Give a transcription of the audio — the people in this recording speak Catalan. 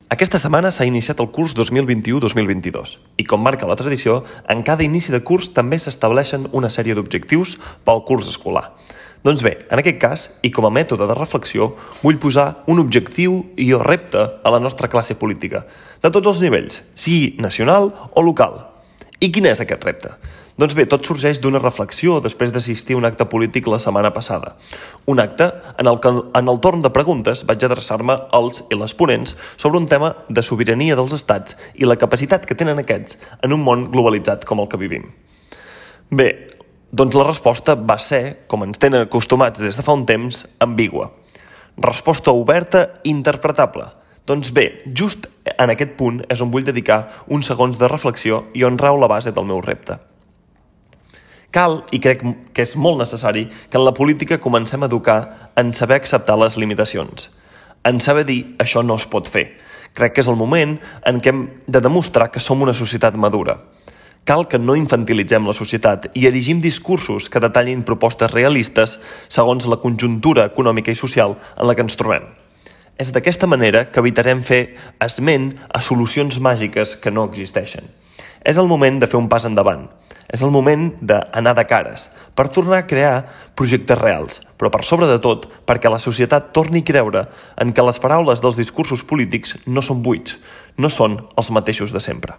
Aquesta setmana s'ha iniciat el curs 2021-2022 i, com marca la tradició, en cada inici de curs també s'estableixen una sèrie d'objectius pel curs escolar. Doncs bé, en aquest cas, i com a mètode de reflexió, vull posar un objectiu i o repte a la nostra classe política, de tots els nivells, sigui nacional o local. I quin és aquest repte? Doncs bé, tot sorgeix d'una reflexió després d'assistir a un acte polític la setmana passada. Un acte en el que en el torn de preguntes vaig adreçar-me als i les ponents sobre un tema de sobirania dels estats i la capacitat que tenen aquests en un món globalitzat com el que vivim. Bé, doncs la resposta va ser, com ens tenen acostumats des de fa un temps, ambigua. Resposta oberta i interpretable. Doncs bé, just en aquest punt és on vull dedicar uns segons de reflexió i on rau la base del meu repte. Cal, i crec que és molt necessari, que en la política comencem a educar en saber acceptar les limitacions, en saber dir això no es pot fer. Crec que és el moment en què hem de demostrar que som una societat madura. Cal que no infantilitzem la societat i erigim discursos que detallin propostes realistes segons la conjuntura econòmica i social en la que ens trobem. És d'aquesta manera que evitarem fer esment a solucions màgiques que no existeixen. És el moment de fer un pas endavant. És el moment d'anar de cares, per tornar a crear projectes reals, però per sobre de tot perquè la societat torni a creure en que les paraules dels discursos polítics no són buits, no són els mateixos de sempre.